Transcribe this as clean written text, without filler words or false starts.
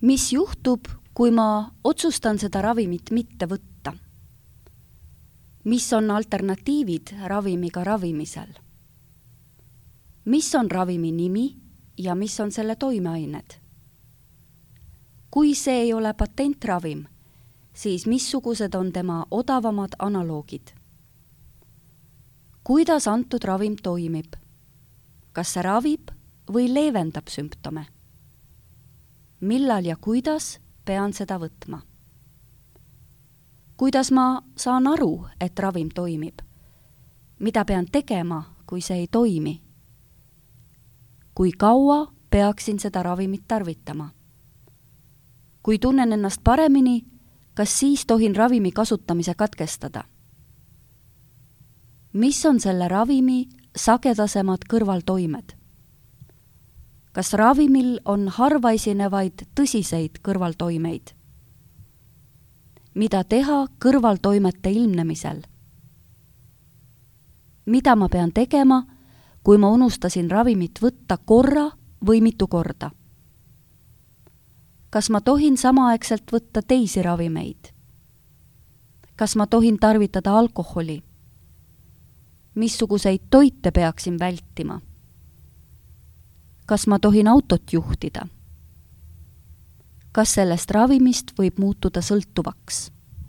Mis juhtub, kui ma otsustan seda ravimit mitte võtta? Mis on alternatiivid ravimiga ravimisel? Mis on ravimi nimi ja mis on selle toimeained? Kui see ei ole patentravim, siis missugused on tema odavamad analoogid? Kuidas antud ravim toimib? Kas see ravib või leevendab sümptome? Millal ja kuidas pean seda võtma? Kuidas ma saan aru, et ravim toimib? Mida pean tegema, kui see ei toimi? Kui kaua peaksin seda ravimit tarvitama? Kui tunnen ennast paremini, kas siis tohin ravimi kasutamise katkestada? Mis on selle ravimi sagedasemad kõrvaltoimed? Kas ravimil on harvaesinevaid tõsiseid kõrvaltoimeid? Mida teha kõrvaltoimete ilmnemisel? Mida ma pean tegema, kui ma unustasin ravimit võtta korra või mitu korda? Kas ma tohin samaaegselt võtta teisi ravimeid? Kas ma tohin tarvitada alkoholi? Missuguseid toite peaksin vältima? Kas ma tohin autot juhtida? Kas sellest ravimist võib muutuda sõltuvaks?